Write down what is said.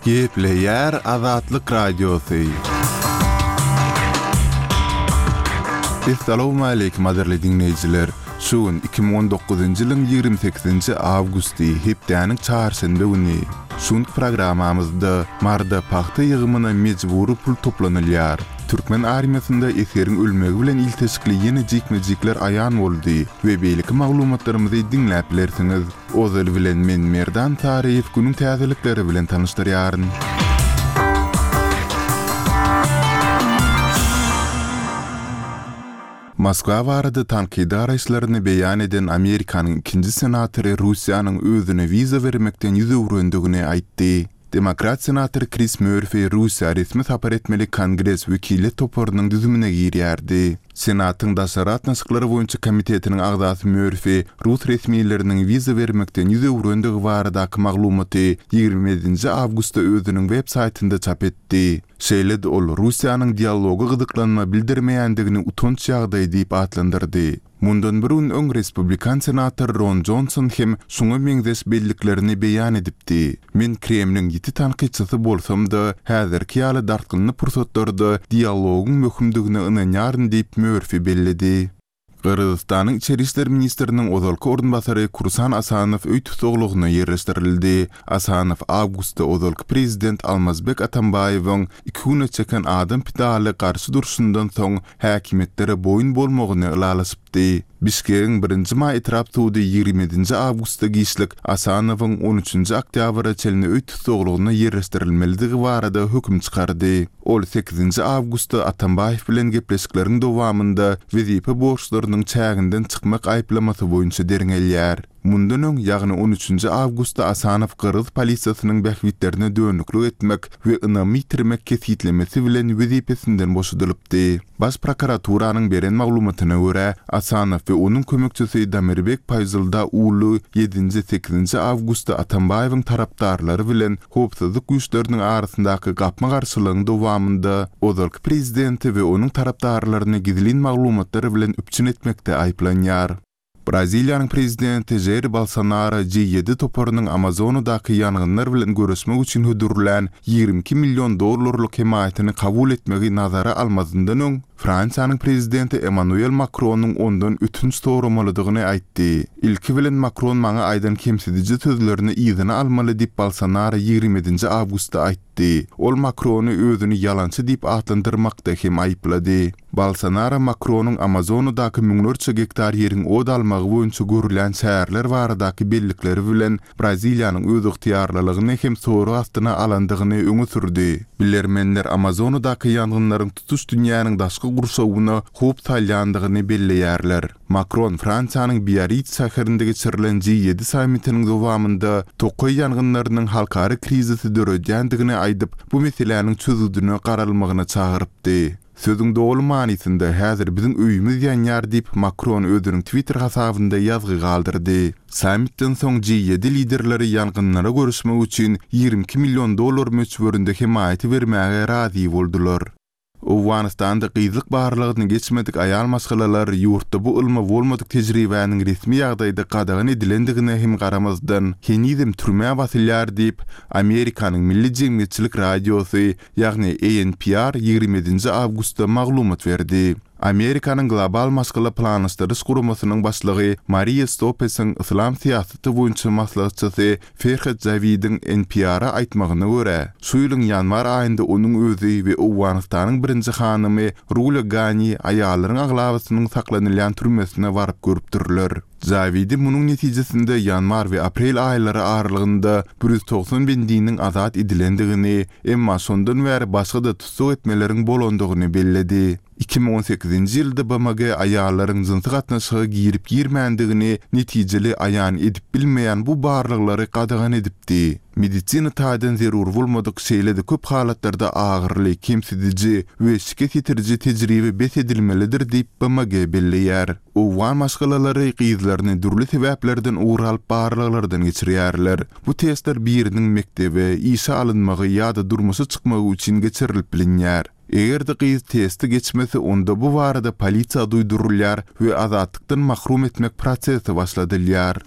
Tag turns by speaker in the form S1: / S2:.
S1: Gepleýär Azatlyk Radiosy. Essalawmaleýkim gadyrly diňleýjiler! Şu gün 2019-njy ýylyň 28-nji awgusty, hepdäniň çarşenbe güni. Şu günki programmamyzda Maryda pagta ýygymyna mejbury pul toplanylýar. Türkmen armiýasynda esgeriň ölmegi bilen ilteşikli ýene jikme-jikler aýan boldy we beýleki maglumatlarymyzy diňläp bilersiňiz. Ozaly bilen men Merdan Saryýew günüň täzelikleri bilen tanyşdyrýaryn. Moskwa barada tankydy garaýyşlaryny beýan eden Amerikanyň ikinji senatory Russiýanyň özüne wiza bermekden ýüz öwrendigini aýtdy. Demokrat senator Kris Mörfi Russiýa resmi sapar etmeli Kongres wekiliýet toparynyň düzümine girýärdi. Senatyň daşary gatnaşyklar boýunça komitetiniň agzasy Mörfi rus resmileriniň wiza bermekden ýüz öwrendigi baradaky maglumaty 27-nji awgustda özüniň web saýtynda çap etdi. Şeýle-de ol Russiýanyň dialoga gyzyklanma bildirmeýändigini utanç ýagdaýy diýip atlandyrdy. Mundan bir gün öň respublikan senator Ron Jonson hem şuňa meňzeş belliklerini beýan edipdi. Men Kremliň ýiti tankytçysy bolsam-da, häzirki ýaly dartgynly pursatlarda dialogyň möhümdigine ynanýaryn diýip, Mörfi belledi. Gyrgyzystanyň içeri işler ministriniň ozalky orunbasary Kursan Asanow öý tussaglygyna ýerleşdirildi. Asanow awgustda ozalky prezident Almazbek Atambaýewiň iki güne çeken adam pidaly garşy durşundan soň häkimiýetlere boýun bolmagyny ylalaşypdy. Bişkegiň Birinji maý etrap sudy 27-nji awgustda giçlik Asanowyň on üçünji oktýabra çenli öý tussaglygyna ýerleşdirilmelidigi barada höküm çykardy. Ol sekizinji awgustda Atambaýew bilen gepleşikleriň dowamynda wezipe borçlarynyň çäginden çykmak aýyplamasy boýunça derňelýär. Mundan öň, ýagny on üçünji awgustda Asanow gyrgyz polisiýasynyň bähbitlerine dönüklik etmek we ynamy ýitirmek kesgitlemesi bilen wezipesinden boşadylypdy. Baş prokuraturanyň beren maglumatyna görä, Asanow we onuň kömekçisi Damirbek Paýzylda uly ýedinji, sekizinji awgustda Atambaýewiň tarapdarlary bilen howpsuzlyk güýçleriniň arasyndaky gapma-garşylygyň dowamynda ozalky prezidenti we onuň tarapdarlaryny gizlin maglumatlar bilen üpjün etmekde aýyplanýar. Braziliýanyň prezidenti Žair Bolsonaro G ýedi toparynyň Amazonadaky ýangynlar bilen göreşmek üçin hödürlän 22 million dollarlyk hemaýatyny kabul etmegi nazara almazyndan öň, Fransiýanyň prezidenti Emmanuel Makronyň ondan ötünç soramalydygyny aýtdy. Ilki bilen Makron maňa aýdan kemsidiji sözlerini yzyna almaly diýip Bolsonaro 27-nji awgustda aýtdy. Ol Makrony özüni ýalançy diýip atlandyrmakda hem aýyplady. Bolsonaro Makronyň Amazonadaky müňlerçe gektar ýeriň ot almagy boýunça görülýän çäreler baradaky bellikleri bilen Braziliýanyň özygtyýarlylygyny hem sorag astyna alandygyny öňe sürdi. Bilermenler Amazonadaky ýangynlaryň tutuş dünýäniň daşky gurşawyna howp salýandygyny belleýärler. Makron Fransiýanyň Biarritz şäherinde geçirilen G ýedi sammitiniň dowamynda tokaý ýangynlarynyň halkara krizisi döredýändigini aýdyp, bu meseläniň çözgüdine garalmagyna çagyrypdy. Sözüň doly manysynda, häzir biziň öýümiz ýanýar diýip, Makron özüniň Twitter hasabynda ýazgy galdyrdy. Sammitden soň G ýedi liderleri ýangynlara göreşmek üçin 22 million dollar möçberinde hemaýaty bermäge razy boldular. Owganystanda gyzlyk barlagyny geçmedik aýal maşgalalar ýurtda bu ylmy bolmadyk tejribäniň resmi ýagdaýda gadagan edilendigine hem garamazdan, henizem türmä basylýar diýip, Amerikanyň Milli jemgyýetçilik radiosy ýagny ANPR 27-nji awgustda maglumat berdi. Amerikanyň Global maşgala planlaşdyryş guramasynyň başlygy Mariýa Stopesiň yslam syýasaty boýunça maslahatçysy Ferhat Jawidiň NPR-a aýtmagyna görä, şu ýylyň ýanwar aýynda onuň özi we Owganystanyň birinji hanymy Rula Gani aýallaryň aglabasynyň saklanylýan türmesine baryp görüpdirler. Jawidi munuň netijesinde ýanwar we aprel aýlary aralygynda 190 bendiniň azat edilendigini, emma şondan bäri başga-da tussag etmeleriň bolandygyny belledi. 2018-nji ýylda BMG aýallaryň jynsy gatnaşyga girip-girmändigini netijeli aýan edip bilmeýän bu barlaglary gadagan edipdi. Medisina taýdan zerur bolmadyk, şeýle-de köp halatlarda agyryly, kemsidiji we şikes ýetiriji tejribe bes edilmelidir diýip, BMG belleýär. Owgan maşgalalary gyzlaryny dürli sebäplerden ugur alyp barlaglardan geçirýärler. Bu testler biriniň mekdebe, işe alynmagy ýa-da durmuşa çykmagy üçin geçirilip bilinýär. Eger-de gyz testi geçmese onda bu barada polisiýa duýdurylýar we azatlykdan mahrum etmek prosesi başladylýar.